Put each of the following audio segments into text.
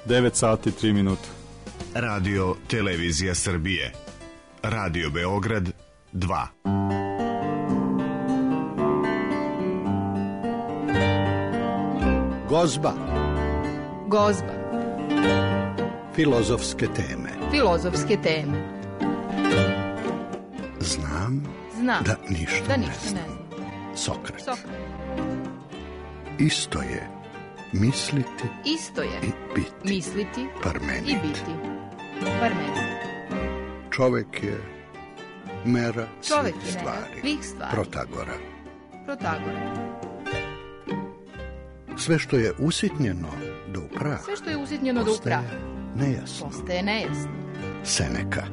9 sati 3 minuta. Radio Televizija Srbije. Radio Beograd 2. Gozba. Gozba. Filozofske teme. Filozofske teme. Znam da ništa ne znam. Sokrat. Isto je misliti i biti. Misliti Parmenid. i biti. Parmenid. Čovek je mera Čovek svih je mera svih stvari. Protagora. Sve što je usitnjeno do prah. Sve što je usitnjeno do prah. Postaje nejasno. Seneka.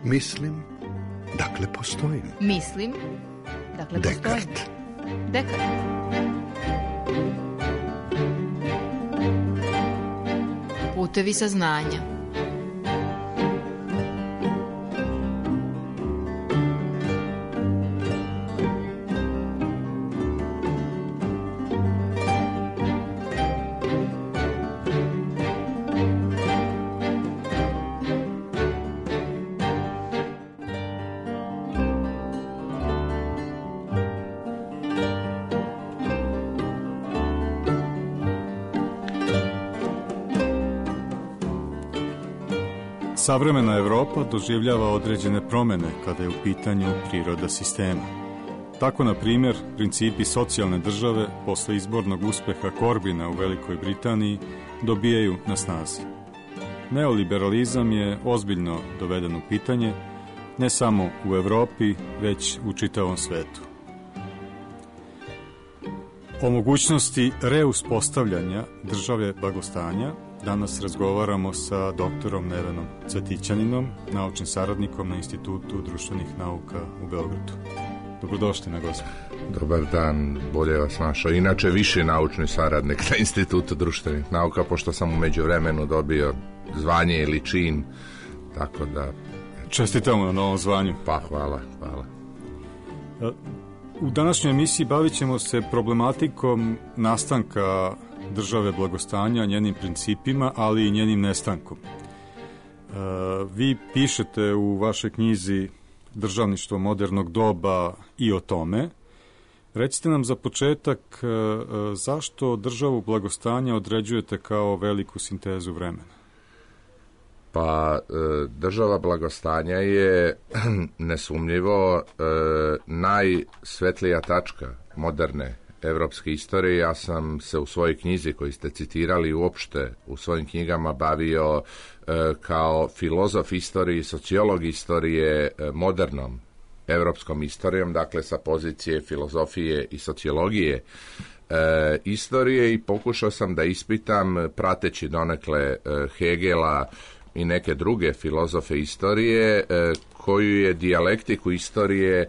Mislim, dakle postojim. Descartes. Putevi saznanja. Savremena Evropa doživljava određene promjene kada je u pitanju priroda sistema. Tako, na primjer, principi socijalne države posle izbornog uspeha Corbina u Velikoj Britaniji dobijaju na snazi. Neoliberalizam je ozbiljno doveden u pitanje, ne samo u Evropi, već u čitavom svetu. O mogućnosti reuspostavljanja države blagostanja danas razgovaramo sa doktorom Nevenom Cvetićaninom, naučnim saradnikom na Institutu društvenih nauka u Beogradu. Dobrodošli na Gozbu. Dobar dan, bolje vas našao. Inače, viši naučni saradnik na Institutu društvenih nauka, pošto sam u međuvremenu dobio zvanje ili čin, tako da... Čestitamo na novom zvanju. Pa, hvala. U današnjoj emisiji bavit ćemo se problematikom nastanka države blagostanja, njenim principima, ali i njenim nestankom. Vi pišete u vašoj knjizi Državništvo modernog doba i o tome. Recite nam za početak zašto državu blagostanja određujete kao veliku sintezu vremena? Pa, država blagostanja je nesumnjivo najsvetlija tačka moderne evropske istorije. Ja sam se u svojoj knjizi koju ste citirali uopšte u svojim knjigama bavio kao filozof istorije i sociolog istorije modernom evropskom istorijom, dakle sa pozicije filozofije i sociologije istorije, i pokušao sam da ispitam, prateći donekle Hegela i neke druge filozofe istorije, koju je dijalektiku istorije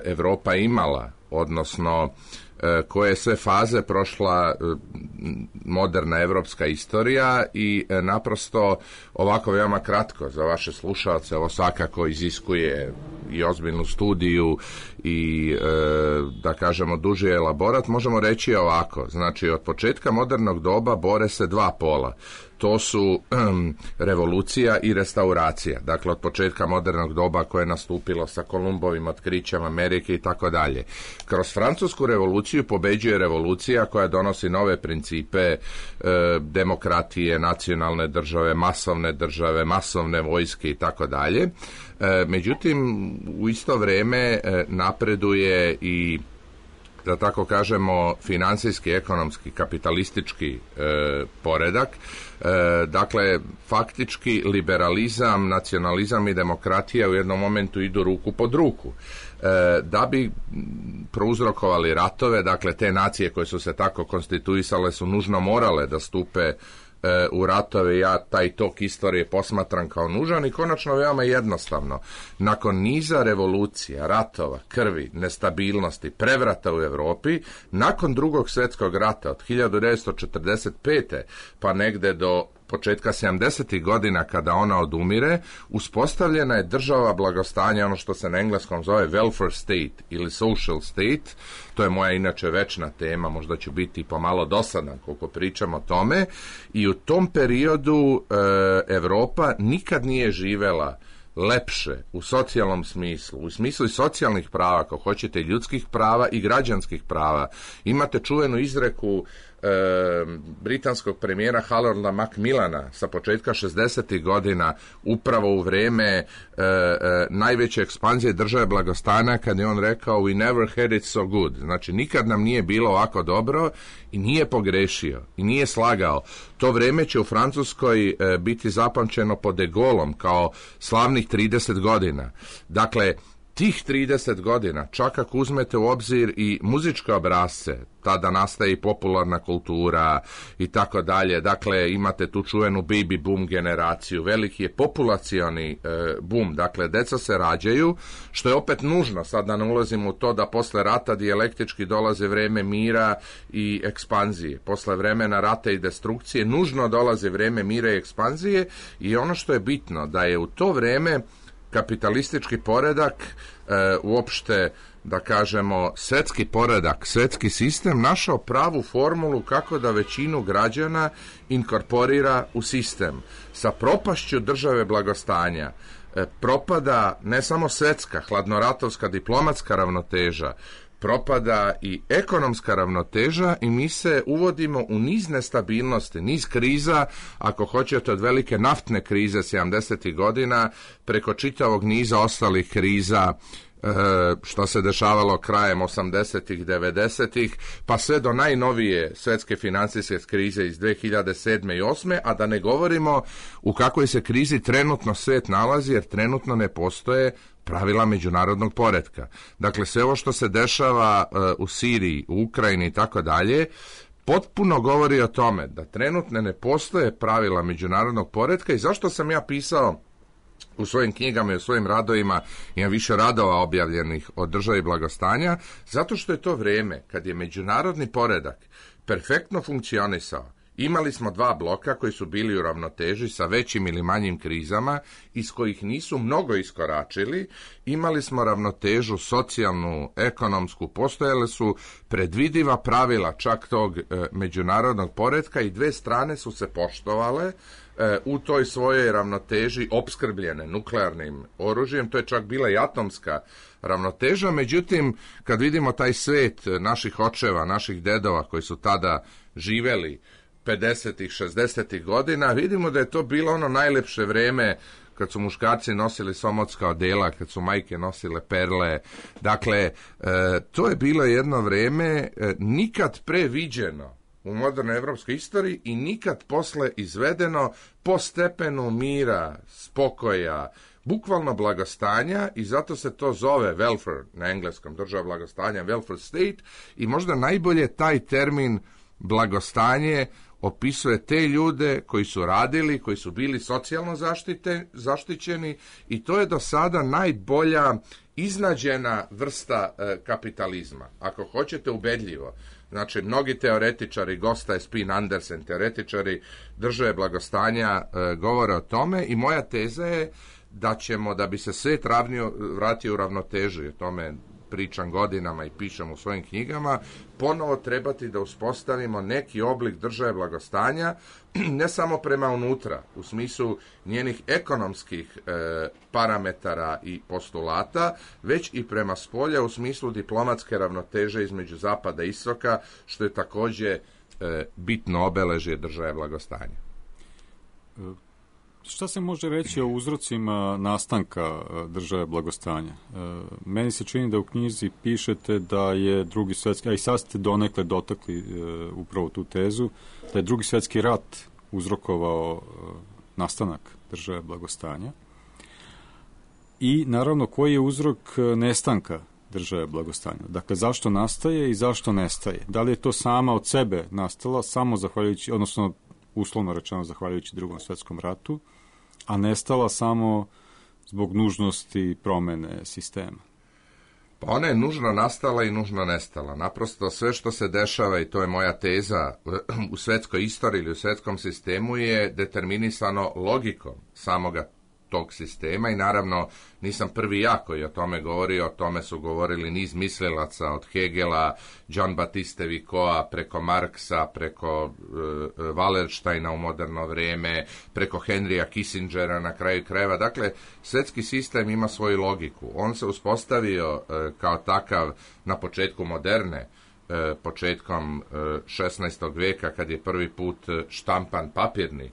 Evropa imala, odnosno koje je sve faze prošla moderna evropska istorija, i naprosto ovako veoma kratko za vaše slušalce, ovo svakako iziskuje i ozbiljnu studiju i da kažemo duži elaborat, možemo reći ovako. Znači, od početka modernog doba bore se dva pola. To su revolucija i restauracija. Dakle, od početka modernog doba koje je nastupilo sa Kolumbovim otkrićem Amerike i tako dalje. Kroz Francusku revoluciju pobeđuje revolucija koja donosi nove principe demokratije, nacionalne države, masovne vojske i tako dalje. Međutim, u isto vrijeme napreduje i, da tako kažemo, finansijski, ekonomski, kapitalistički poredak. Dakle, faktički liberalizam, nacionalizam i demokratija u jednom momentu idu ruku pod ruku. Da bi prouzrokovali ratove, dakle te nacije koje su se tako konstituisale su nužno morale da stupe u ratove. Ja taj tok istorije posmatram kao nužan i konačno veoma jednostavno. Nakon niza revolucija, ratova, krvi, nestabilnosti, prevrata u Evropi, nakon Drugog svjetskog rata od 1945. pa negde do početka 70. godina kada ona odumire, uspostavljena je država blagostanja, ono što se na engleskom zove welfare state ili social state. To je moja inače večna tema, možda ću biti pomalo dosadan koliko pričam o tome. I u tom periodu Evropa nikad nije živela lepše u socijalnom smislu, u smislu i socijalnih prava, ako hoćete, ljudskih prava i građanskih prava. Imate čuvenu izreku britanskog premijera Halorda Macmillana sa početka 60. godina, upravo u vreme najveće ekspanzije države blagostanja, kad je on rekao we never had it so good. Znači, nikad nam nije bilo ovako dobro i nije pogrešio i nije slagao. To vreme će u Francuskoj biti zapamćeno pod De Gaulleom kao slavnih 30 godina. Dakle, tih 30 godina, čak ako uzmete u obzir i muzičke obrasce, tada nastaje i popularna kultura i tako dalje. Dakle, imate tu čuvenu baby boom generaciju, veliki je populacioni boom, dakle, deca se rađaju, što je opet nužno, sad da ne ulazimo u to da posle rata dijalektički dolaze vreme mira i ekspanzije. Posle vremena rata i destrukcije nužno dolaze vreme mira i ekspanzije i ono što je bitno, da je u to vreme kapitalistički poredak, uopšte, da kažemo, svetski poredak, svetski sistem, našao pravu formulu kako da većinu građana inkorporira u sistem. Sa propašću države blagostanja propada ne samo svetska, hladnoratovska, diplomatska ravnoteža, propada i ekonomska ravnoteža i mi se uvodimo u niz nestabilnosti, niz kriza, ako hoćete od velike naftne krize 70. godina, preko čitavog niza ostalih kriza, što se dešavalo krajem 80-ih, 90-ih, pa sve do najnovije svetske financijske krize iz 2007. i 2008. A da ne govorimo u kakvoj se krizi trenutno svet nalazi, jer trenutno ne postoje pravila međunarodnog poretka. Dakle, sve ovo što se dešava u Siriji, u Ukrajini i tako dalje, potpuno govori o tome da trenutno ne postoje pravila međunarodnog poretka. I zašto sam ja pisao u svojim knjigama i u svojim radovima, imam više radova objavljenih o državi blagostanja, zato što je to vreme kad je međunarodni poredak perfektno funkcionisao. Imali smo dva bloka koji su bili u ravnoteži sa većim ili manjim krizama, iz kojih nisu mnogo iskoračili. Imali smo ravnotežu socijalnu, ekonomsku, postojale su predvidiva pravila čak tog međunarodnog poretka i dve strane su se poštovale u toj svojoj ravnoteži opskrbljene nuklearnim oružjem. To je čak bila i atomska ravnoteža. Međutim, kad vidimo taj svet naših očeva, naših dedova koji su tada živeli 50-ih, 60-ih godina, vidimo da je to bilo ono najlepše vreme kad su muškarci nosili somotska odela, kad su majke nosile perle. Dakle, to je bilo jedno vreme nikad pre viđeno u modernoj evropskoj istoriji i nikad posle izvedeno po stepenu mira, spokoja, bukvalno blagostanja, i zato se to zove welfare na engleskom, država blagostanja, welfare state, i možda najbolje taj termin blagostanje opisuje te ljude koji su radili, koji su bili socijalno zaštićeni, i to je do sada najbolja iznađena vrsta kapitalizma. Ako hoćete, ubedljivo. Znači, mnogi teoretičari, Gosta, Spin, Andersen, teoretičari države blagostanja govore o tome, i moja teza je da ćemo, da bi se svet vratio u ravnotežu, o tome pričam godinama i pišem u svojim knjigama, ponovo trebati da uspostavimo neki oblik države blagostanja, ne samo prema unutra, u smislu njenih ekonomskih parametara i postulata, već i prema spolja u smislu diplomatske ravnoteže između zapada i istoka, što je također bitno obeležje države blagostanja. Šta se može reći o uzrocima nastanka države blagostanja? Meni se čini da u knjizi pišete da je drugi svjetski, a i sad ste donekle dotakli upravo tu tezu, da je drugi svjetski rat uzrokovao nastanak države blagostanja. I naravno, koji je uzrok nestanka države blagostanja? Dakle, zašto nastaje i zašto nestaje? Da li je to sama od sebe nastala, samo zahvaljujući, odnosno uslovno rečeno zahvaljujući Drugom svjetskom ratu, a nestala samo zbog nužnosti promene sistema? Pa ona je nužno nastala i nužno nestala. Naprosto sve što se dešava, i to je moja teza, u svetskoj istoriji ili u svetskom sistemu je determinisano logikom samoga tog sistema i naravno nisam prvi ja koji o tome govorio, o tome su govorili niz mislilaca od Hegela, John Batiste Vicoa, preko Marksa, preko Wallersteina u moderno vrijeme, preko Henrya Kissingera na kraju krajeva. Dakle, svetski sistem ima svoju logiku. On se uspostavio kao takav na početku moderne, početkom 16. vijeka kad je prvi put štampan papirni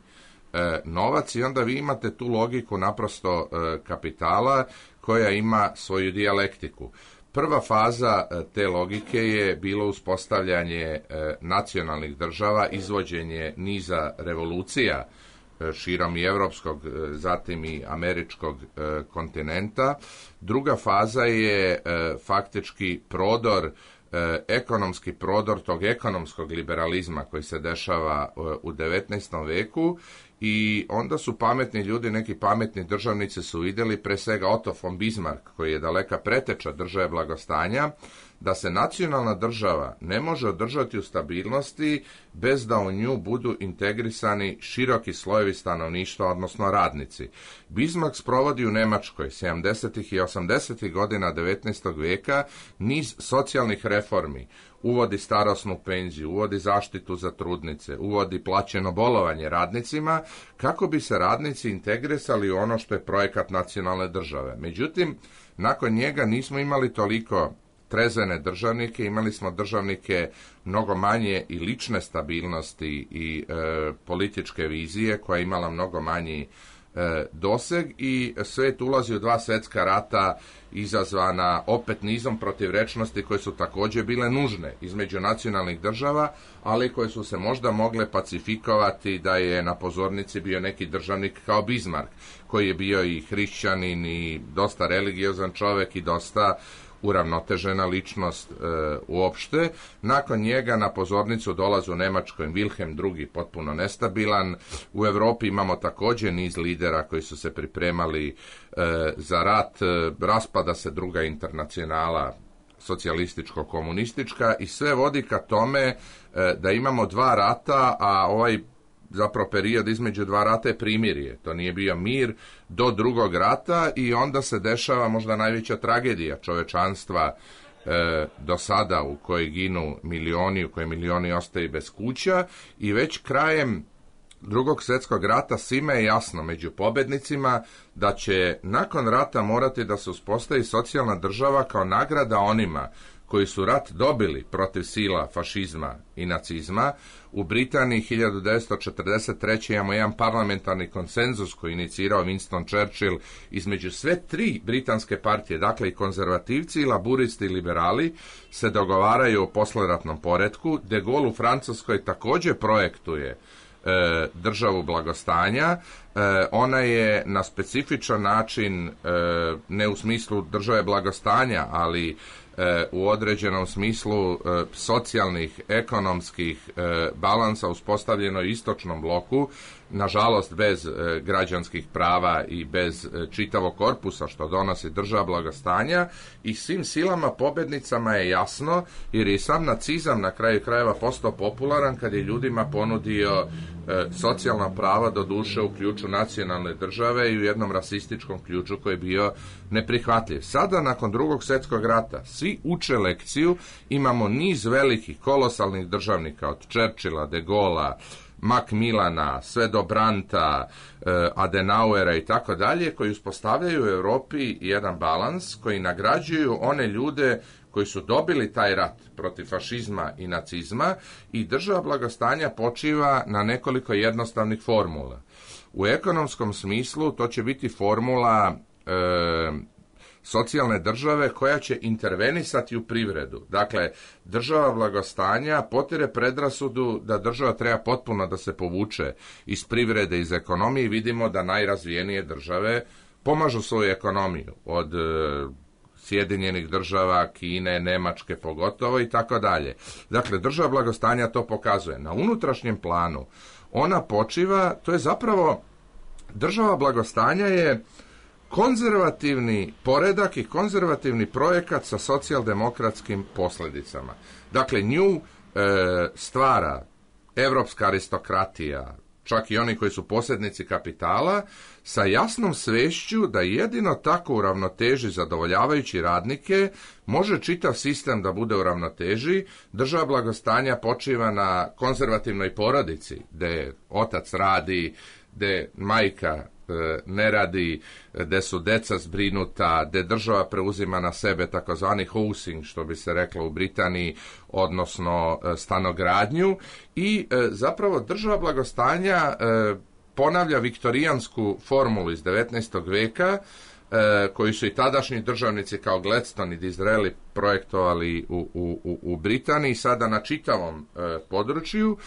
novac i onda vi imate tu logiku naprosto kapitala koja ima svoju dijalektiku. Prva faza te logike je bilo uspostavljanje nacionalnih država, izvođenje niza revolucija širom i evropskog, zatim i američkog kontinenta. Druga faza je faktički prodor, ekonomski prodor tog ekonomskog liberalizma koji se dešava u 19. veku i onda su pametni ljudi, neki pametni državnici su vidjeli, pre svega Otto von Bismarck, koji je daleka preteča države blagostanja, da se nacionalna država ne može održati u stabilnosti bez da u nju budu integrisani široki slojevi stanovništva, odnosno radnici. Bismarck sprovodi u Nemačkoj 70. i 80. godina 19. vijeka niz socijalnih reformi. Uvodi starosnu penziju, uvodi zaštitu za trudnice, uvodi plaćeno bolovanje radnicima, kako bi se radnici integrisali u ono što je projekat nacionalne države. Međutim, nakon njega nismo imali toliko trezvene državnike, imali smo državnike mnogo manje i lične stabilnosti i političke vizije, koja je imala mnogo manji doseg i svet ulazi u dva svjetska rata izazvana opet nizom protivrečnosti koje su također bile nužne između nacionalnih država, ali koje su se možda mogle pacifikovati da je na pozornici bio neki državnik kao Bismarck, koji je bio i hrišćanin i dosta religiozan čovjek i dosta uravnotežena ličnost uopšte. Nakon njega na pozornicu dolazi u Njemačkoj Wilhelm II, potpuno nestabilan. U Europi imamo također niz lidera koji su se pripremali za rat. Raspada se druga internacionala, socijalističko-komunistička, i sve vodi ka tome da imamo dva rata, a ovaj zapravo period između dva rata je primirje. To nije bio mir do drugog rata i onda se dešava možda najveća tragedija čovečanstva do sada, u kojoj ginu milioni, u kojoj milioni ostaju bez kuća, i već krajem Drugog svjetskog rata svima je jasno među pobednicima da će nakon rata morati da se uspostavi socijalna država kao nagrada onima koji su rat dobili protiv sila fašizma i nacizma. U Britaniji 1943. imamo jedan parlamentarni konsenzus koji je inicirao Winston Churchill između sve tri britanske partije, dakle i konzervativci, i laburisti i liberali, se dogovaraju o posleratnom poretku. De Gaulle u Francuskoj također projektuje državu blagostanja. Ona je na specifičan način, ne u smislu države blagostanja, ali u određenom smislu socijalnih, ekonomskih balansa uspostavljeno u istočnom bloku, nažalost bez građanskih prava i bez čitavog korpusa što donosi država blagostanja, i svim silama pobednicama je jasno, jer je sam nacizam na kraju krajeva postao popularan kad je ljudima ponudio socijalna prava, do duše u ključu nacionalne države i u jednom rasističkom ključu koji je bio neprihvatljiv. Sada, nakon Drugog svjetskog rata, svi uče lekciju, imamo niz velikih, kolosalnih državnika, od Churchilla, De Gaulea, Macmillana, sve do Brandta, Adenauera i tako dalje, koji uspostavljaju u Europi jedan balans, koji nagrađuju one ljude koji su dobili taj rat protiv fašizma i nacizma, i država blagostanja počiva na nekoliko jednostavnih formula. U ekonomskom smislu to će biti formula socijalne države koja će intervenisati u privredu. Dakle, država blagostanja potire predrasudu da država treba potpuno da se povuče iz privrede, iz ekonomije, i vidimo da najrazvijenije države pomažu svoju ekonomiju, od Sjedinjenih država, Kine, Nemačke pogotovo i tako dalje. Dakle, država blagostanja to pokazuje. Na unutrašnjem planu ona počiva, to je zapravo, država blagostanja je konzervativni poredak i konzervativni projekat sa socijaldemokratskim posljedicama. Dakle, nju stvara evropska aristokratija, čak i oni koji su posjednici kapitala, sa jasnom svešću da jedino tako u ravnoteži zadovoljavajući radnike može čitav sistem da bude u ravnoteži. Država blagostanja počiva na konzervativnoj porodici, gde otac radi, gde majka ne radi, gde su deca zbrinuta, gde država preuzima na sebe takozvani housing, što bi se reklo u Britaniji, odnosno stanogradnju, i zapravo država blagostanja ponavlja viktorijansku formulu iz 19. veka, koji su i tadašnji državnici kao Gladstone i Disraeli projektovali u Britaniji, sada na čitavom području,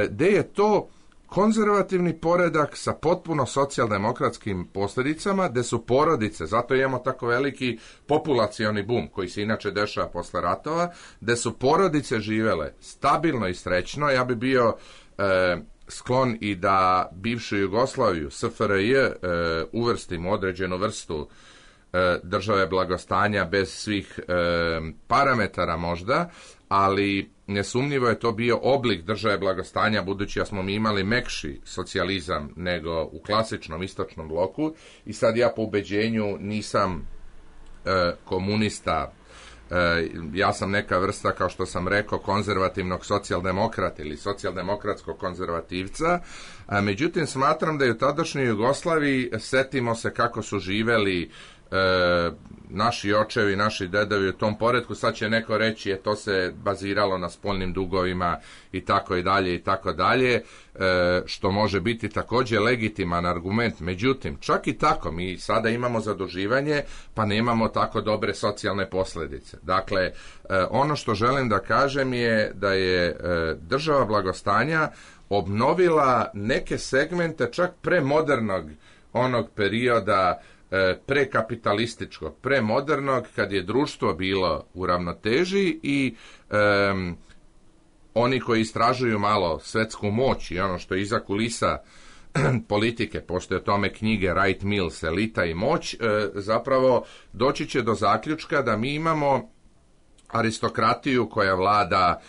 gde je to konzervativni poredak sa potpuno socijaldemokratskim posljedicama, gde su porodice, zato imamo tako veliki populacioni bum koji se inače dešava posle ratova, gde su porodice živele stabilno i srećno. Ja bi bio sklon i da bivšu Jugoslaviju, SFRJ, uvrstimo određenu vrstu države blagostanja bez svih parametara možda, ali nesumnjivo je to bio oblik države blagostanja, budući da smo mi imali mekši socijalizam nego u klasičnom istočnom bloku, i sad ja po ubeđenju nisam komunista, ja sam neka vrsta, kao što sam rekao, konzervativnog socijaldemokrata ili socijaldemokratskog konzervativca, međutim smatram da je u tadašnjoj Jugoslaviji, setimo se kako su živeli naši očevi, naši dedovi u tom poretku. Sad će neko reći to se baziralo na spoljnim dugovima i tako i dalje i tako dalje, što može biti također legitiman argument. Međutim, čak i tako mi sada imamo zaduživanje, pa nemamo tako dobre socijalne posljedice. Dakle, ono što želim da kažem je da je država blagostanja obnovila neke segmente čak premodernog onog perioda, prekapitalističkog, premodernog, kad je društvo bilo u ravnoteži i oni koji istražuju malo svetsku moć i ono što je iza kulisa politike, postoje o tome knjige Wright Mills, Elita i moć, zapravo doći će do zaključka da mi imamo aristokratiju koja vlada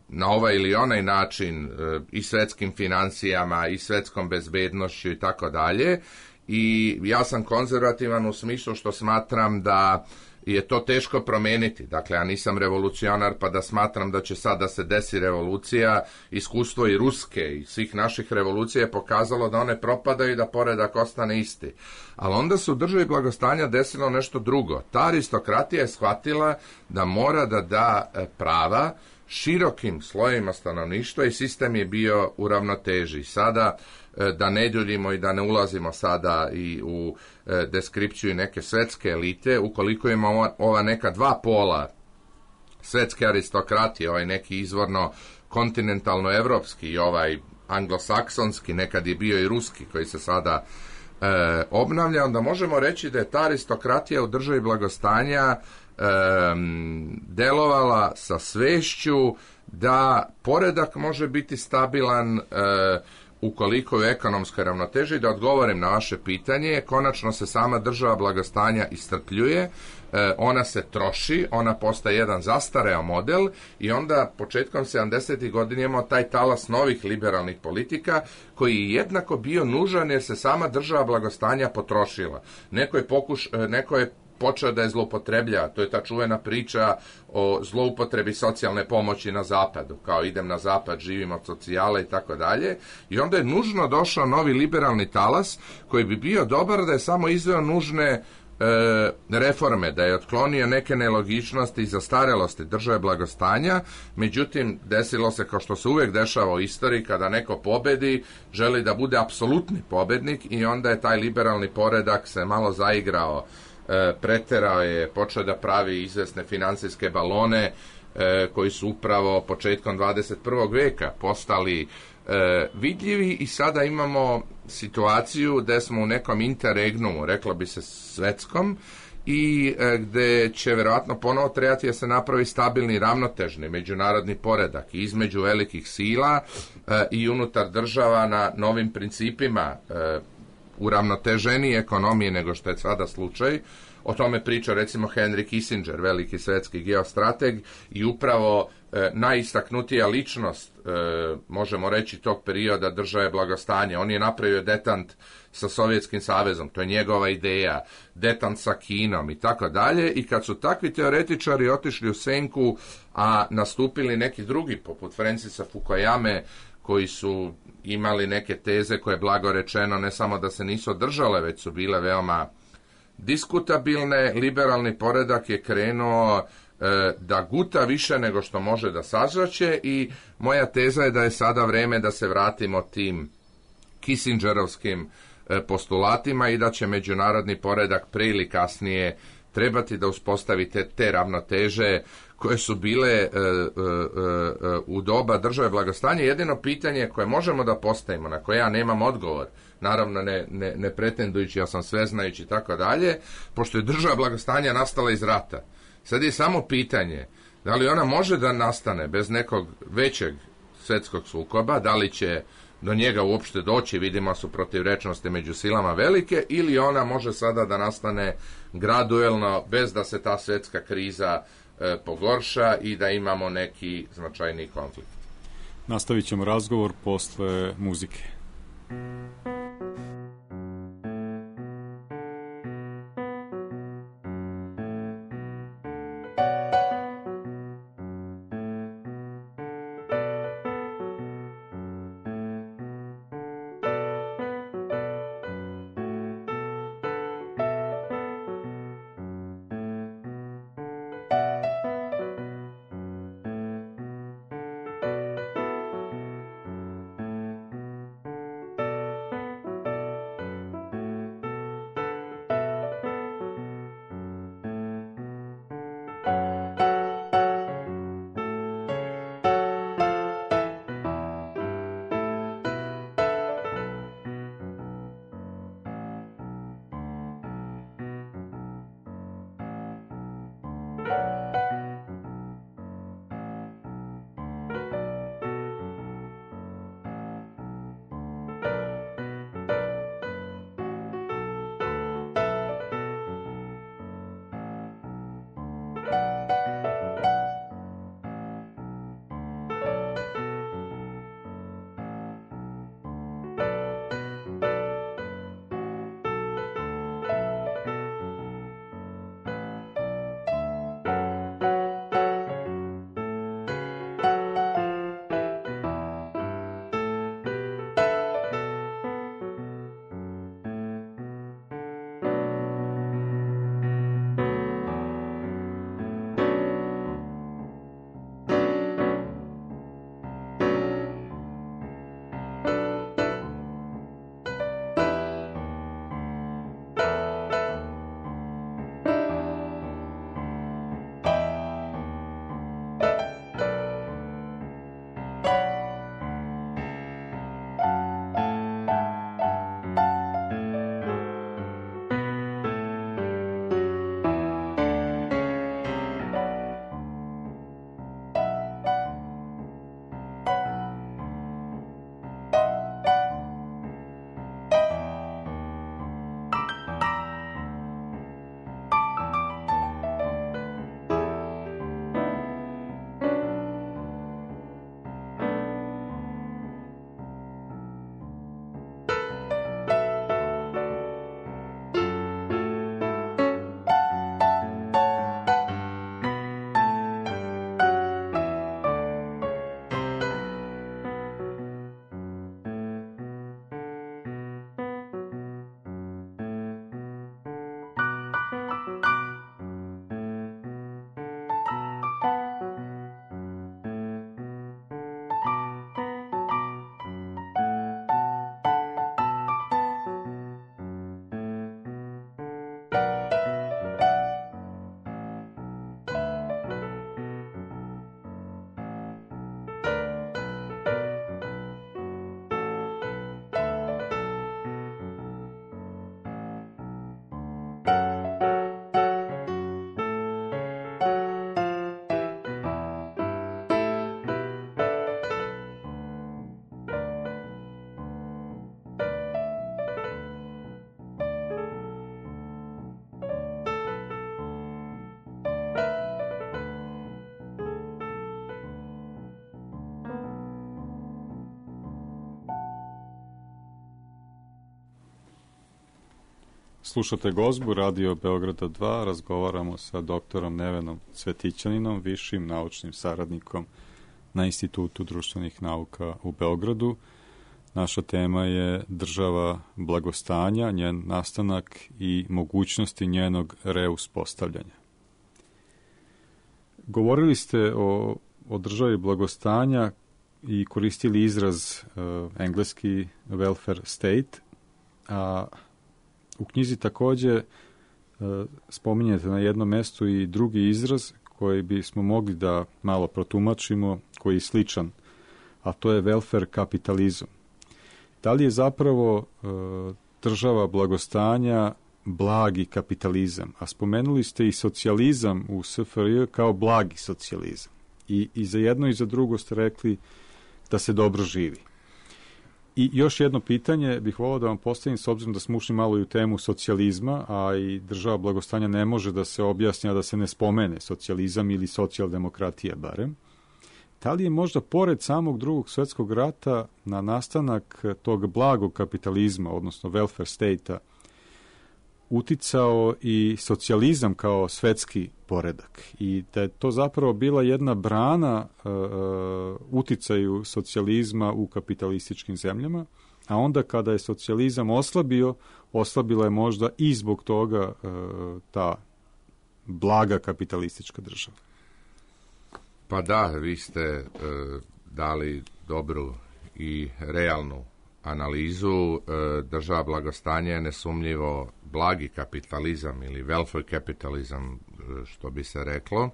na ovaj ili onaj način i svetskim financijama i svetskom bezbednošću i tako dalje. I ja sam konzervativan u smislu što smatram da je to teško promeniti. Dakle, ja nisam revolucionar pa da smatram da će sad da se desi revolucija. Iskustvo i ruske i svih naših revolucija je pokazalo da one propadaju i da poredak ostane isti. Ali onda se u državi blagostanja desilo nešto drugo. Ta aristokratija je shvatila da mora da da prava širokim slojevima stanovništva i sistem je bio u ravnoteži. Sada, da ne duljimo i da ne ulazimo sada i u deskripciju neke svetske elite, ukoliko imamo ova neka dva pola svetske aristokratije, ovaj neki izvorno kontinentalno-evropski i ovaj anglosaksonski, nekad je bio i ruski koji se sada obnavlja, onda možemo reći da je ta aristokratija u državi blagostanja delovala sa svešću da poredak može biti stabilan ukoliko je ekonomska ravnoteža. Da odgovorim na vaše pitanje, konačno se sama država blagostanja iscrpljuje, ona se troši, ona postaje jedan zastareo model i onda početkom 70. godina imamo taj talas novih liberalnih politika koji je jednako bio nužan jer se sama država blagostanja potrošila. Neko je počeo da je zloupotreblja, to je ta čuvena priča o zloupotrebi socijalne pomoći na zapadu, kao idem na zapad, živim od socijale i tako dalje, i onda je nužno došao novi liberalni talas koji bi bio dobar da je samo izveo nužne reforme, da je otklonio neke nelogičnosti i zastarelosti države blagostanja. Međutim, desilo se kao što se uvijek dešava u istoriji, kada neko pobedi, želi da bude apsolutni pobednik i onda je taj liberalni poredak se malo zaigrao, preterao je, počeo da pravi izvesne financijske balone koji su upravo početkom 21. veka postali vidljivi i sada imamo situaciju gde smo u nekom interregnumu, reklo bi se svetskom, i gde će verovatno ponovo trebati da se napravi stabilni, ravnotežni međunarodni poredak između velikih sila i unutar država na novim principima uravnoteženije ekonomije nego što je sada slučaj. O tome priča recimo Henry Kissinger, veliki svetski geostrateg i upravo najistaknutija ličnost, možemo reći, tog perioda države blagostanja. On je napravio detant sa Sovjetskim savezom, to je njegova ideja, detant sa Kinom i tako dalje. I kad su takvi teoretičari otišli u senku, a nastupili neki drugi, poput Francisa Fukuyame, koji su imali neke teze koje, blago rečeno, ne samo da se nisu održale, već su bile veoma diskutabilne, liberalni poredak je krenuo da guta više nego što može da sazraće i moja teza je da je sada vreme da se vratimo tim Kissingerovskim postulatima i da će međunarodni poredak pre ili kasnije trebati da uspostavite te ravnoteže koje su bile u doba države blagostanja. Jedino pitanje koje možemo da postavimo, na koje ja nemam odgovor, naravno ne pretendujući, ja sam sveznajući i tako dalje, pošto je država blagostanja nastala iz rata. Sad je samo pitanje da li ona može da nastane bez nekog većeg svetskog sukoba, da li će do njega uopšte doći, vidimo su protivrečnosti među silama velike, ili ona može sada da nastane graduelno bez da se ta svetska kriza pogorša i da imamo neki značajni konflikt. Nastavit ćemo razgovor posle muzike. Slušate Gozbu, Radio Beograda 2, razgovaramo sa doktorom Nevenom Cvetićaninom, višim naučnim saradnikom na Institutu društvenih nauka u Beogradu. Naša tema je država blagostanja, njen nastanak i mogućnosti njenog reuspostavljanja. Govorili ste o državi blagostanja i koristili izraz engleski welfare state, a u knjizi takođe spominjete na jednom mestu i drugi izraz koji bismo mogli da malo protumačimo, koji je sličan, a to je welfare kapitalizam. Da li je zapravo država blagostanja blagi kapitalizam? A spomenuli ste i socijalizam u SFRJ kao blagi socijalizam. I za jedno i za drugo ste rekli da se dobro živi. I još jedno pitanje bih volao da vam postavim, s obzirom da smo ušli malo i u temu socijalizma, a i država blagostanja ne može da se objasni, a da se ne spomene socijalizam ili socijaldemokratija barem. Da li je možda pored samog Drugog svjetskog rata na nastanak tog blagog kapitalizma, odnosno welfare state-a, uticao i socijalizam kao svetski poredak i da je to zapravo bila jedna brana uticaju socijalizma u kapitalističkim zemljama, a onda kada je socijalizam oslabila je možda i zbog toga ta blaga kapitalistička država. Pa da, vi ste dali dobru i realnu analizu. Država blagostanja je nesumnjivo blagi kapitalizam ili welfare kapitalizam, što bi se reklo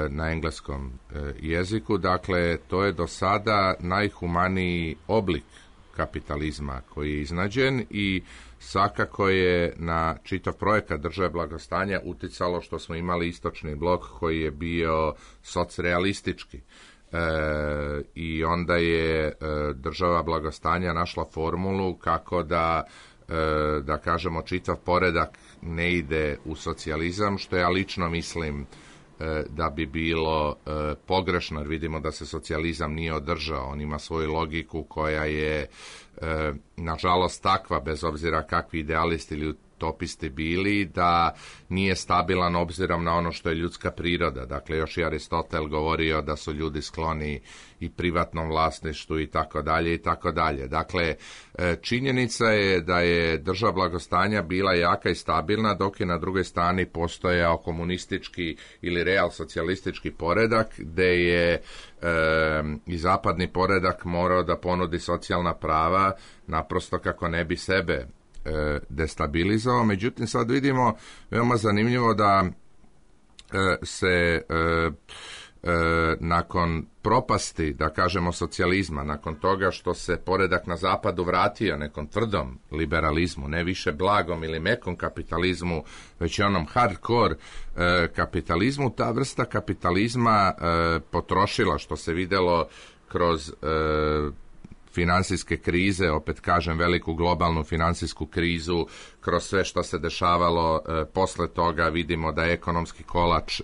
na engleskom jeziku. Dakle, to je do sada najhumaniji oblik kapitalizma koji je iznađen i svakako je na čitav projekat države blagostanja uticalo što smo imali istočni blok koji je bio socrealistički. I onda je država blagostanja našla formulu kako da kažemo čitav poredak ne ide u socijalizam, što ja lično mislim da bi bilo pogrešno, jer vidimo da se socijalizam nije održao. On ima svoju logiku koja je nažalost takva, bez obzira kakvi idealisti ili utopisti bili, da nije stabilan obzirom na ono što je ljudska priroda. Dakle, još i Aristotel govorio da su ljudi skloni i privatnom vlasništvu i tako dalje i tako dalje. Dakle, činjenica je da je država blagostanja bila jaka i stabilna, dok je na drugoj strani postojao komunistički ili real socijalistički poredak, gde je i zapadni poredak morao da ponudi socijalna prava naprosto kako ne bi sebe destabilizao. Međutim, sad vidimo veoma zanimljivo da se nakon propasti, da kažemo, socijalizma, nakon toga što se poredak na zapadu vratio nekom tvrdom liberalizmu, ne više blagom ili mekom kapitalizmu, već i onom hardcore kapitalizmu, ta vrsta kapitalizma potrošila, što se videlo kroz finansijske krize, opet kažem veliku globalnu finansijsku krizu, kroz sve što se dešavalo posle toga, vidimo da je ekonomski kolač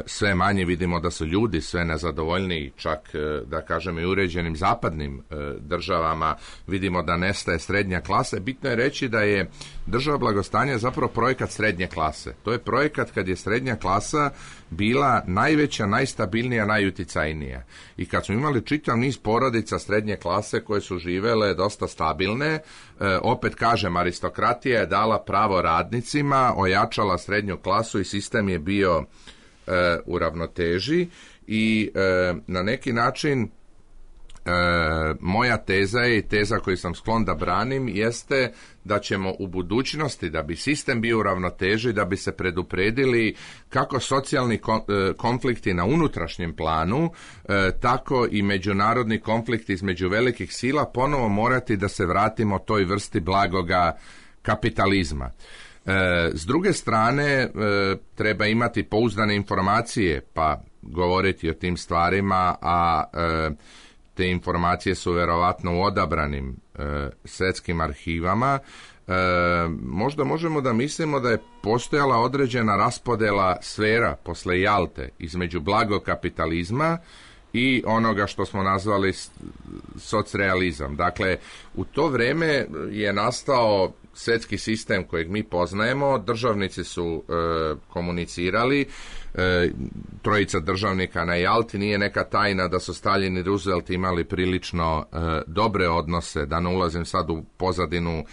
sve manje, vidimo da su ljudi sve nezadovoljniji, čak da kažem i uređenim zapadnim državama, vidimo da nestaje srednja klasa. Bitno je reći da je država blagostanja zapravo projekat srednje klase. To je projekat kad je srednja klasa bila najveća, najstabilnija, najuticajnija. I kad smo imali čitav niz porodica srednje klase koje su živele dosta stabilne, opet kažem, aristokratija je dala pravo radnicima, ojačala srednju klasu i sistem je bio u ravnoteži i na neki način moja teza je i teza koju sam sklon da branim jeste da ćemo u budućnosti, da bi sistem bio u ravnoteži, da bi se predupredili kako socijalni konflikti na unutrašnjem planu, tako i međunarodni konflikti između velikih sila, ponovo morati da se vratimo toj vrsti blagoga kapitalizma. S druge strane, treba imati pouzdane informacije, pa govoriti o tim stvarima, a te informacije su verovatno u odabranim svetskim arhivama. Možda možemo da mislimo da je postojala određena raspodela sfera posle Jalte između blagog kapitalizma i onoga što smo nazvali socrealizam. Dakle, u to vreme je nastao svjetski sistem kojeg mi poznajemo, državnici su komunicirali, trojica državnika na Jalti, nije neka tajna da su Stalin i Roosevelt imali prilično dobre odnose, da ne ulazim sad u pozadinu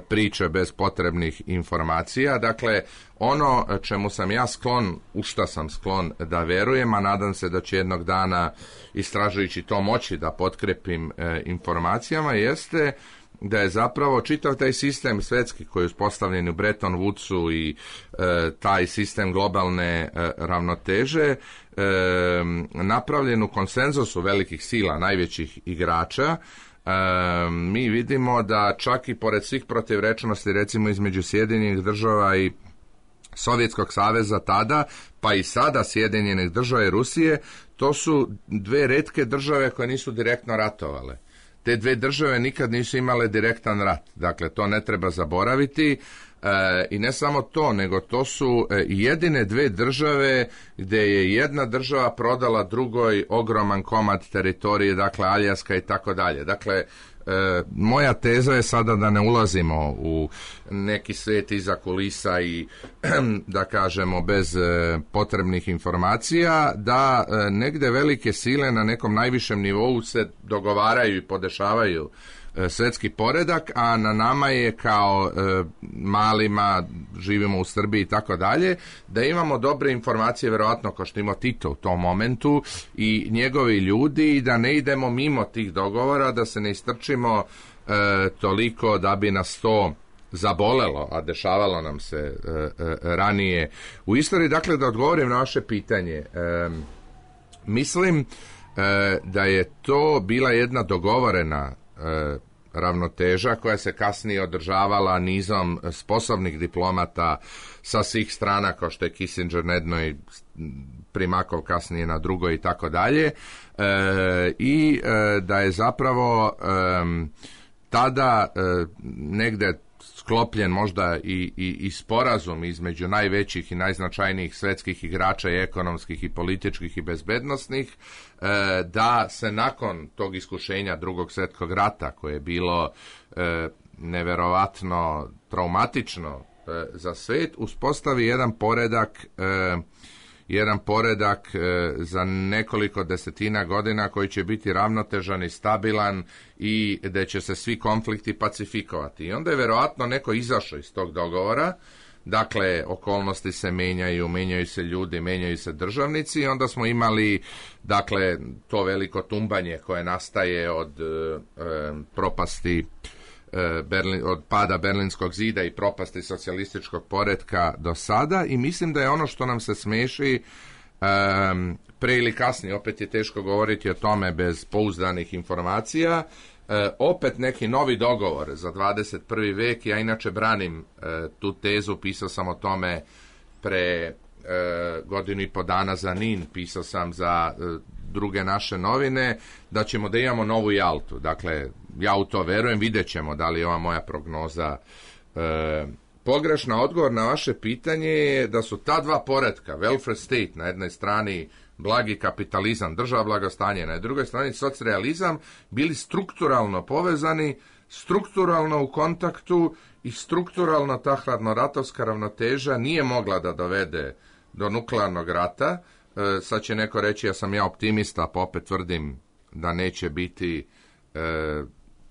priče bez potrebnih informacija. Dakle, ono čemu sam ja sklon, u šta sam sklon da verujem, a nadam se da će jednog dana, istražujući to, moći da potkrepim informacijama, jeste da je zapravo čitav taj sistem svjetski koji je uspostavljen u Bretton Woodsu i taj sistem globalne ravnoteže napravljen u konsenzusu velikih sila, najvećih igrača. Mi vidimo da čak i pored svih protivrečnosti, recimo između Sjedinjenih država i Sovjetskog saveza tada, pa i sada Sjedinjenih država i Rusije, to su dve retke države koje nisu direktno ratovale. Te dve države nikad nisu imale direktan rat, dakle to ne treba zaboraviti. I ne samo to, nego to su jedine dve države gdje je jedna država prodala drugoj ogroman komad teritorije, dakle Aljaska i tako dalje. Dakle, moja teza je sada da ne ulazimo u neki svijet iza kulisa i da kažemo bez potrebnih informacija, da negdje velike sile na nekom najvišem nivou se dogovaraju i podešavaju svjetski poredak, a na nama je kao malima, živimo u Srbiji i tako dalje, da imamo dobre informacije, vjerojatno kao što ima Tito u tom momentu i njegovi ljudi, i da ne idemo mimo tih dogovora, da se ne istrčimo toliko da bi nas to zabolelo, a dešavalo nam se ranije u istoriji. Dakle, da odgovorim na vaše pitanje, mislim da je to bila jedna dogovorena ravnoteža koja se kasnije održavala nizom sposobnih diplomata sa svih strana, kao što je Kissinger na jednoj, Primakov kasnije na drugoj i tako dalje, i da je zapravo tada negde sklopljen možda i sporazum između najvećih i najznačajnijih svjetskih igrača i ekonomskih i političkih i bezbednosnih, da se nakon tog iskušenja Drugog svjetskog rata, koje je bilo neverovatno traumatično za svijet, uspostavi jedan poredak za nekoliko desetina godina koji će biti ravnotežan i stabilan i da će se svi konflikti pacifikovati. I onda je vjerojatno neko izašao iz tog dogovora, dakle okolnosti se menjaju se ljudi, menjaju se državnici, i onda smo imali, dakle, to veliko tumbanje koje nastaje od propasti od pada Berlinskog zida i propasti socijalističkog poretka do sada, i mislim da je ono što nam se smeši pre ili kasnije, opet je teško govoriti o tome bez pouzdanih informacija, opet neki novi dogovor za 21. vek. Ja inače branim tu tezu, pisao sam o tome pre godinu i po dana za NIN, pisao sam za druge naše novine, da ćemo da imamo novu Jaltu. Dakle, ja u to verujem, vidjet ćemo da li je ova moja prognoza pogrešna. Odgovor na vaše pitanje je da su ta dva poretka, welfare state na jednoj strani, blagi kapitalizam, država blagostanje, na drugoj strani socrealizam, bili strukturalno povezani, strukturalno u kontaktu, i strukturalno ta hladnoratovska ravnoteža nije mogla da dovede do nuklearnog rata. Sad će neko reći ja sam optimista, pa opet tvrdim da neće biti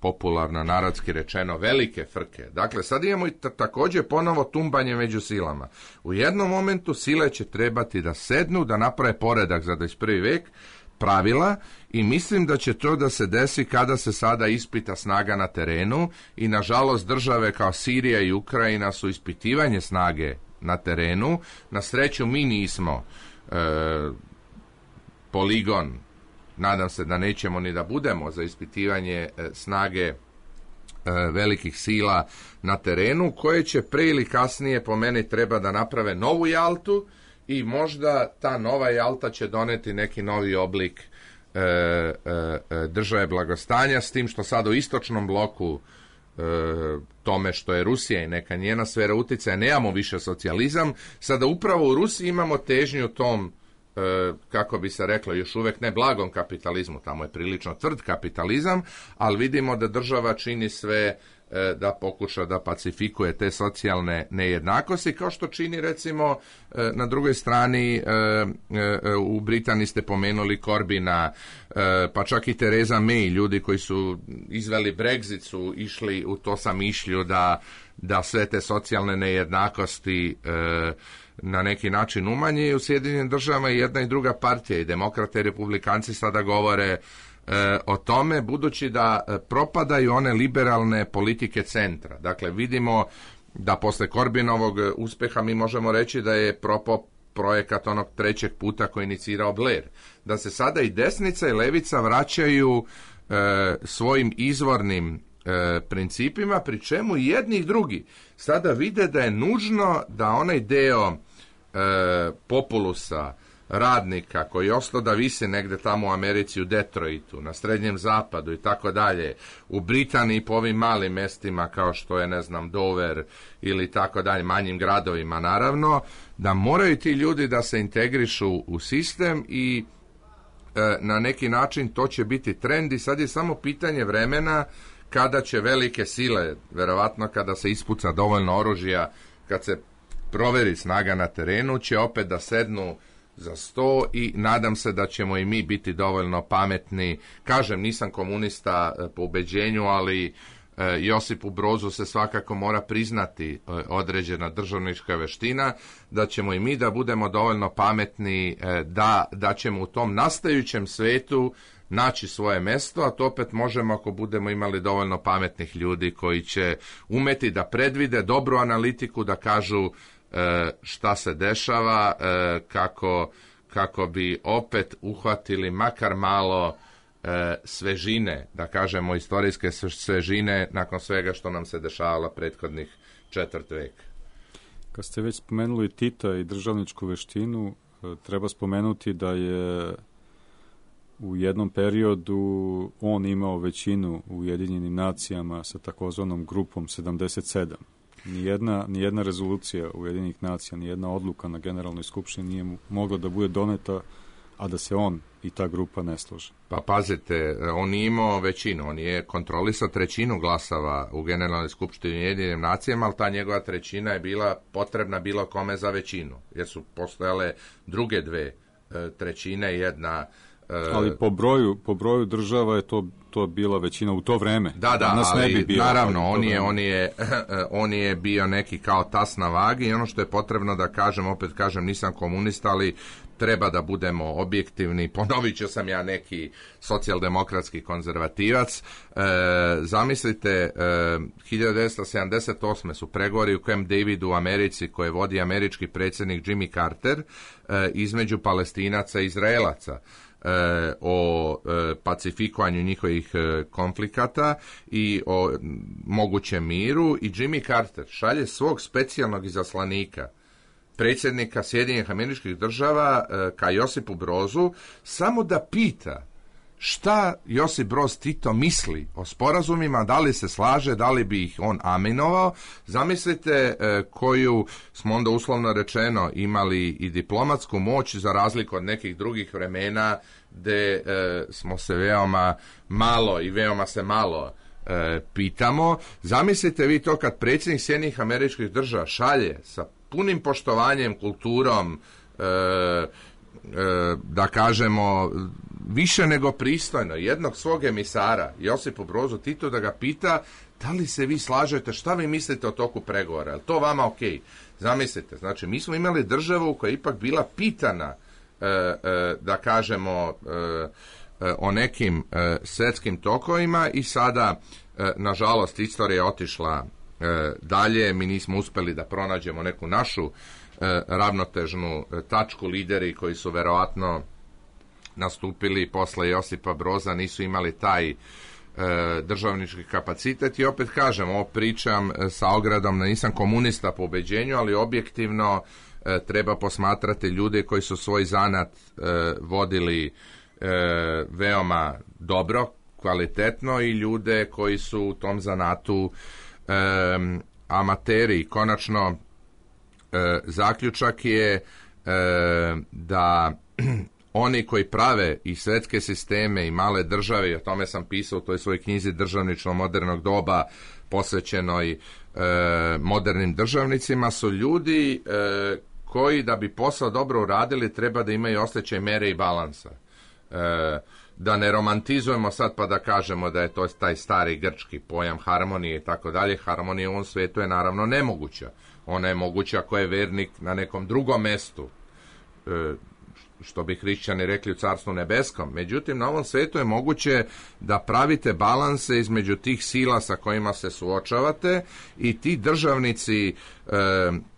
popularno narodski rečeno velike frke. Dakle, sad imamo i također ponovo tumbanje među silama. U jednom momentu sile će trebati da sednu, da naprave poredak za 21. vek, pravila, i mislim da će to da se desi kada se sada ispita snaga na terenu, i nažalost države kao Sirija i Ukrajina su ispitivanje snage na terenu. Na sreću mi nismo poligon, nadam se da nećemo ni da budemo, za ispitivanje snage velikih sila na terenu, koje će pre ili kasnije po meni treba da naprave novu Jaltu, i možda ta nova Jalta će doneti neki novi oblik države blagostanja, s tim što sad u istočnom bloku, tome što je Rusija i neka njena sfera uticaja, nemamo više socijalizam. Sada upravo u Rusiji imamo težnju tom, kako bi se reklo, još uvek ne blagom kapitalizmu, tamo je prilično tvrd kapitalizam, ali vidimo da država čini sve da pokuša da pacifikuje te socijalne nejednakosti, kao što čini recimo na drugoj strani u Britaniji ste pomenuli Corbina, pa čak i Theresa May, ljudi koji su izveli Brexit su išli u to samišlju da sve te socijalne nejednakosti na neki način umanje. U Sjedinjenim državama i jedna i druga partija, i demokrate i republikanci sada govore o tome, budući da propadaju one liberalne politike centra. Dakle, vidimo da posle Corbynovog uspeha mi možemo reći da je propao projekat onog trećeg puta koji je inicirao Blair. Da se sada i desnica i levica vraćaju svojim izvornim principima, pri čemu jedni i drugi sada vide da je nužno da onaj deo populusa, radnika koji je ostao da vise negde tamo u Americi, u Detroitu, na Srednjem zapadu i tako dalje, u Britaniji po ovim malim mestima kao što je, ne znam, Dover ili tako dalje, manjim gradovima naravno, da moraju ti ljudi da se integrišu u sistem i na neki način to će biti trend i sad je samo pitanje vremena kada će velike sile, verovatno kada se ispuca dovoljno oružja, kad se proveri snaga na terenu, će opet da sednu za sto i nadam se da ćemo i mi biti dovoljno pametni. Kažem, nisam komunista po ubeđenju, ali Josipu Brozu se svakako mora priznati određena državnička veština, da ćemo i mi da budemo dovoljno pametni, da ćemo u tom nastajućem svetu naći svoje mesto, a to opet možemo ako budemo imali dovoljno pametnih ljudi koji će umeti da predvide dobru analitiku, da kažu šta se dešava, kako bi opet uhvatili makar malo svežine, da kažemo istorijske svežine nakon svega što nam se dešavalo prethodnih četvrt veka. Kad ste već spomenuli Tita i državničku veštinu, treba spomenuti da je u jednom periodu on imao većinu u Ujedinjenim nacijama sa takozvanom grupom 77. Nijedna rezolucija Ujedinjenih nacija, nijedna odluka na Generalnoj skupštini nije mogla da bude doneta, a da se on i ta grupa ne slože. Pa pazite, on je imao većinu, on je kontrolisao trećinu glasova u Generalnoj skupštini Ujedinjenim nacijama, ali ta njegova trećina je bila potrebna bilo kome za većinu, jer su postojale druge dve trećine, jedna... Ali po broju država je to bila većina u to vreme. Da, ali ne bi bio, naravno, on je bio neki kao tas na vagi i ono što je potrebno da kažem, opet kažem, nisam komunista, ali treba da budemo objektivni. Ponovit ću, sam ja neki socijaldemokratski konzervativac. Zamislite, 1978. su pregovori u Camp Davidu u Americi, koje vodi američki predsjednik Jimmy Carter, između Palestinaca i Izraelaca, o pacifikovanju njihovih konflikata i o mogućem miru, i Jimmy Carter šalje svog specijalnog izaslanika, predsjednika Sjedinjenih Američkih Država, ka Josipu Brozu, samo da pita šta Josip Broz Tito misli o sporazumima, da li se slaže, da li bi ih on aminovao. Zamislite koju smo onda uslovno rečeno imali i diplomatsku moć, za razliku od nekih drugih vremena gde smo se veoma malo i veoma se malo pitamo. Zamislite vi to kad predsjednik Sjedinjenih Američkih Država šalje sa punim poštovanjem, kulturom, da kažemo više nego pristojno, jednog svog emisara, Josipu Brozu Tito, da ga pita da li se vi slažete, šta vi mislite o toku pregovora, je li to vama ok? Zamislite, znači mi smo imali državu koja je ipak bila pitana, da kažemo, o nekim svetskim tokovima, i sada, nažalost, istorija je otišla dalje, mi nismo uspeli da pronađemo neku našu ravnotežnu tačku. Lideri koji su verovatno nastupili posle Josipa Broza nisu imali taj državnički kapacitet, i opet kažem, ovo pričam sa ogradom da nisam komunista po ubeđenju, ali objektivno treba posmatrati ljude koji su svoj zanat vodili veoma dobro, kvalitetno, i ljude koji su u tom zanatu amateri. Konačno, zaključak je da oni koji prave i svetske sisteme i male države, i o tome sam pisao u toj svojoj knjizi Državništvo modernog doba posvećenoj modernim državnicima, su ljudi koji da bi posao dobro uradili treba da imaju osjećaj mere i balansa. Da ne romantizujemo sad pa da kažemo da je to taj stari grčki pojam harmonije i tako dalje. Harmonija u ovom svijetu je naravno nemoguća. Ona je moguća ako je vernik na nekom drugom mestu, što bi hrišćani rekli u Carstvu nebeskom. Međutim, na ovom svijetu je moguće da pravite balanse između tih sila sa kojima se suočavate, i ti državnici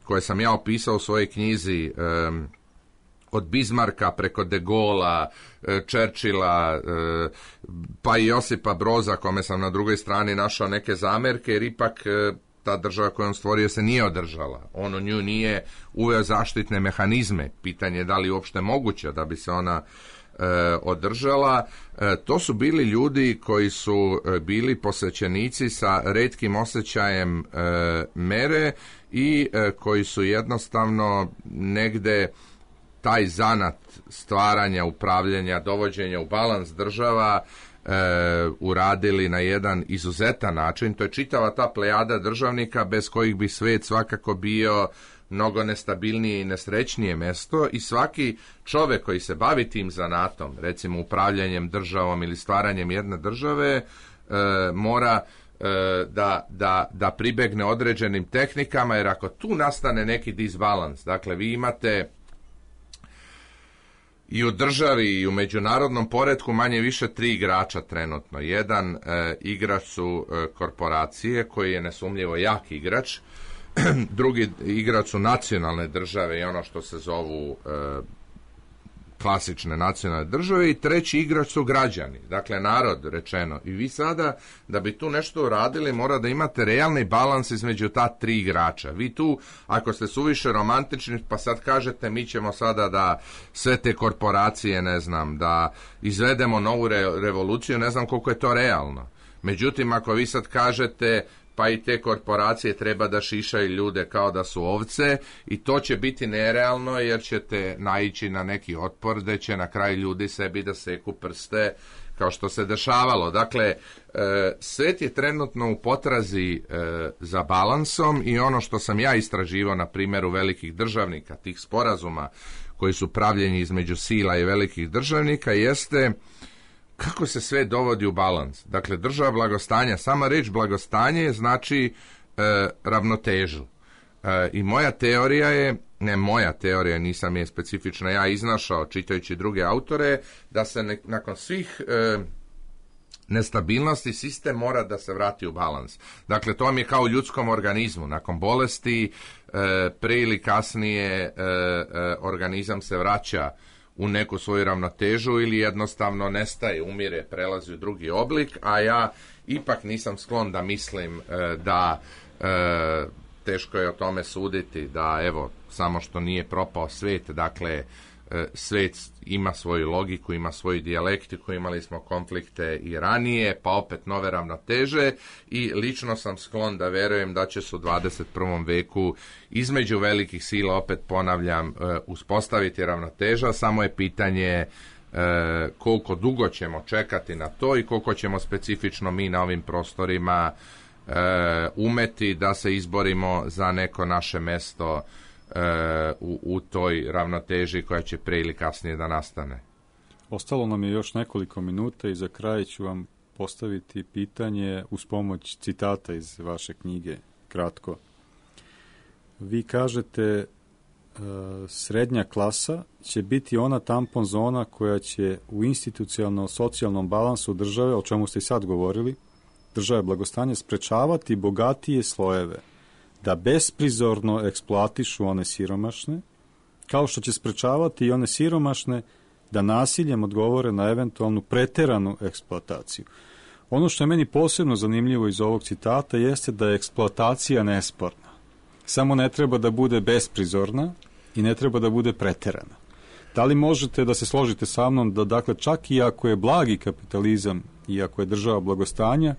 koje sam ja opisao u svojoj knjizi, od Bismarcka preko De Gaulea, Churchilla, pa i Josipa Broza, kome sam na drugoj strani našao neke zamerke, jer ipak ta država koju on stvorio se nije održala. On u nju nije uveo zaštitne mehanizme. Pitanje je da li uopšte moguće da bi se ona održala. To su bili ljudi koji su bili posvećenici sa retkim osjećajem mere i koji su jednostavno negde taj zanat stvaranja, upravljanja, dovođenja u balans država uradili na jedan izuzetan način. To je čitava ta plejada državnika bez kojih bi svet svakako bio mnogo nestabilnije i nesrećnije mesto, i svaki čovek koji se bavi tim zanatom, recimo upravljanjem državom ili stvaranjem jedne države, mora da pribegne određenim tehnikama, jer ako tu nastane neki disbalans, dakle vi imate i u državi i u međunarodnom poretku manje više 3 igrača trenutno. Jedan igrač su korporacije, koji je nesumnjivo jak igrač. Drugi igrač su nacionalne države i ono što se zovu klasične nacionalne države, i treći igrač su građani, dakle narod rečeno. I vi sada, da bi tu nešto uradili, mora da imate realni balans između ta 3 igrača. Vi tu, ako ste suviše romantični, pa sad kažete mi ćemo sada da sve te korporacije, ne znam, da izvedemo novu revoluciju, ne znam koliko je to realno. Međutim, ako vi sad kažete pa i te korporacije treba da šišaju ljude kao da su ovce, i to će biti nerealno, jer ćete naići na neki otpor gde će na kraju ljudi sebi da seku prste, kao što se dešavalo. Dakle, svet je trenutno u potrazi za balansom, i ono što sam ja istraživao na primjeru velikih državnika, tih sporazuma koji su pravljeni između sila i velikih državnika, jeste kako se sve dovodi u balans. Dakle, država blagostanja, sama reč blagostanje znači ravnotežu. I moja teorija je, ne moja teorija, nisam je specifično ja iznašao čitajući druge autore, da se nakon svih nestabilnosti sistem mora da se vrati u balans. Dakle, to vam je kao u ljudskom organizmu. Nakon bolesti, pre ili kasnije organizam se vraća u neku svoju ravnotežu ili jednostavno nestaje, umire, prelazi u drugi oblik, a ja ipak nisam sklon da mislim da teško je o tome suditi, da evo, samo što nije propao svet, dakle, svet ima svoju logiku, ima svoju dijalektiku, imali smo konflikte i ranije, pa opet nove ravnoteže, i lično sam sklon da verujem da će se u 21. veku između velikih sila, opet ponavljam, uspostaviti ravnoteža, samo je pitanje koliko dugo ćemo čekati na to i koliko ćemo specifično mi na ovim prostorima umeti da se izborimo za neko naše mesto u toj ravnoteži koja će pre ili kasnije da nastane. Ostalo nam je još nekoliko minuta i za kraj ću vam postaviti pitanje uz pomoć citata iz vaše knjige, kratko. Vi kažete srednja klasa će biti ona tampon zona koja će u institucionalno-socijalnom balansu države, o čemu ste i sad govorili, države blagostanja, sprečavati bogatije slojeve da besprizorno eksploatišu one siromašne, kao što će sprečavati i one siromašne da nasiljem odgovore na eventualnu preteranu eksploataciju. Ono što je meni posebno zanimljivo iz ovog citata jeste da je eksploatacija nesporna. Samo ne treba da bude besprizorna i ne treba da bude preterana. Da li možete da se složite sa mnom da, dakle, čak i ako je blagi kapitalizam i ako je država blagostanja,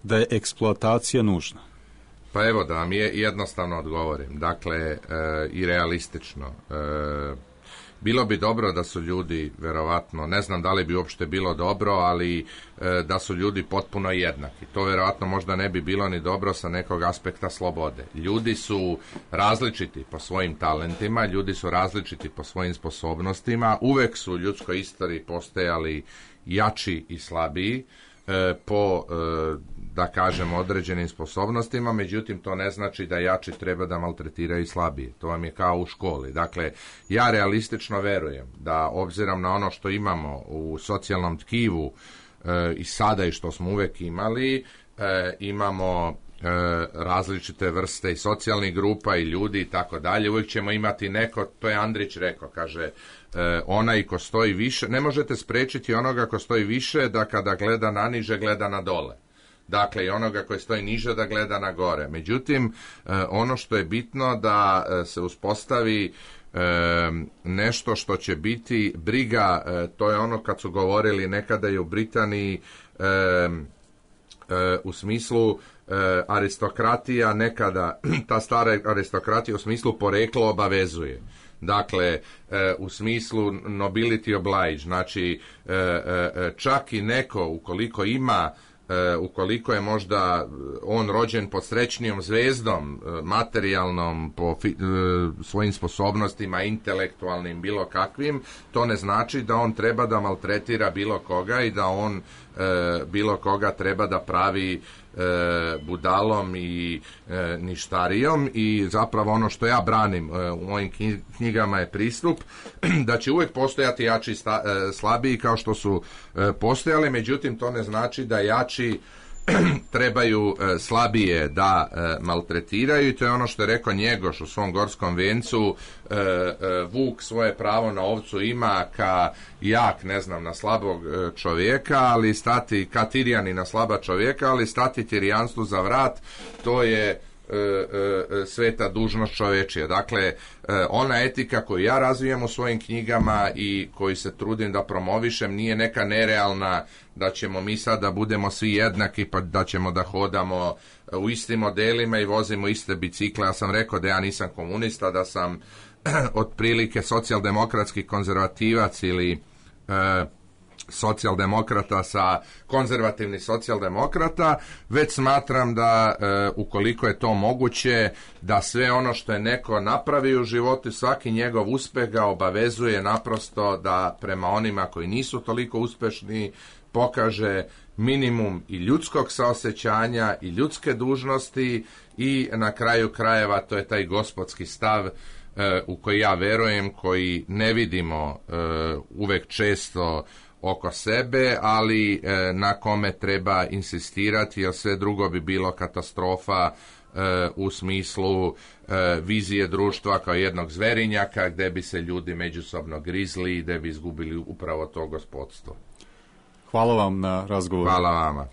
da je eksploatacija nužna? Pa evo da vam jednostavno odgovorim, dakle, i realistično. Bilo bi dobro da su ljudi, verovatno, ne znam da li bi uopšte bilo dobro, ali da su ljudi potpuno jednaki. To verovatno možda ne bi bilo ni dobro sa nekog aspekta slobode. Ljudi su različiti po svojim talentima, ljudi su različiti po svojim sposobnostima, uvek su u ljudskoj istoriji postojali jači i slabiji po, da kažem, određenim sposobnostima, međutim to ne znači da jači treba da maltretiraju slabije. To vam je kao u školi. Dakle, ja realistično verujem da obzirom na ono što imamo u socijalnom tkivu i sada i što smo uvek imali, imamo različite vrste i socijalnih grupa i ljudi i tako dalje. Uvijek ćemo imati neko, to je Andrić rekao, kaže, onaj ko stoji više, ne možete sprečiti onoga ko stoji više da kada gleda na niže, gleda na dole. Dakle, i onoga koji stoji niže da gleda na gore. Međutim, ono što je bitno da se uspostavi nešto što će biti briga, to je ono kad su govorili nekada i u Britaniji, u smislu aristokratija nekada, ta stara aristokratija u smislu poreklo obavezuje. Dakle, u smislu nobility oblige, znači čak i neko ukoliko ima, ukoliko je možda on rođen pod srećnijom zvezdom, materijalnom, po svojim sposobnostima, intelektualnim, bilo kakvim, to ne znači da on treba da maltretira bilo koga i da on bilo koga treba da pravi budalom i ništarijom. I zapravo ono što ja branim u mojim knjigama je pristup da će uvijek postojati jači i slabiji kao što su postojali, međutim to ne znači da jači trebaju slabije da maltretiraju, i to je ono što je rekao Njegoš u svom Gorskom vencu, vuk svoje pravo na ovcu ima ka jak, ne znam, na slabog čovjeka, ali stati ka Tirjani na slaba čovjeka, ali stati Tirijanstvu za vrat, to je sveta dužnost čovečija. Dakle, ona etika koju ja razvijem u svojim knjigama i koju se trudim da promovišem nije neka nerealna, da ćemo mi sad da budemo svi jednaki, pa da ćemo da hodamo u istim modelima i vozimo iste bicikle. Ja sam rekao da ja nisam komunista, da sam otprilike socijaldemokratski konzervativac ili socijaldemokrata sa konzervativni socijaldemokrata, već smatram da ukoliko je to moguće, da sve ono što je neko napravi u životu, svaki njegov uspeh ga obavezuje naprosto da prema onima koji nisu toliko uspešni pokaže minimum i ljudskog saosećanja i ljudske dužnosti, i na kraju krajeva to je taj gospodski stav u koji ja verujem, koji ne vidimo uvek često oko sebe, ali na kome treba insistirati, jer sve drugo bi bilo katastrofa u smislu vizije društva kao jednog zverinjaka gde bi se ljudi međusobno grizli i gde bi izgubili upravo to gospodstvo. Hvala vam na razgovoru. Hvala vama.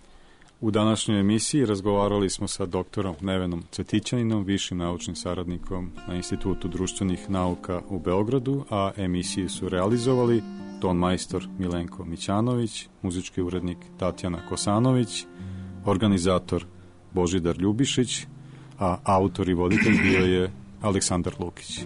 U današnjoj emisiji razgovarali smo sa doktorom Nevenom Cvetićaninom, višim naučnim saradnikom na Institutu društvenih nauka u Beogradu, a emisiju su realizovali ton majstor Milenko Mićanović, muzički urednik Tatjana Kosanović, organizator Božidar Ljubišić, a autor i voditelj bio je Aleksandar Lukić.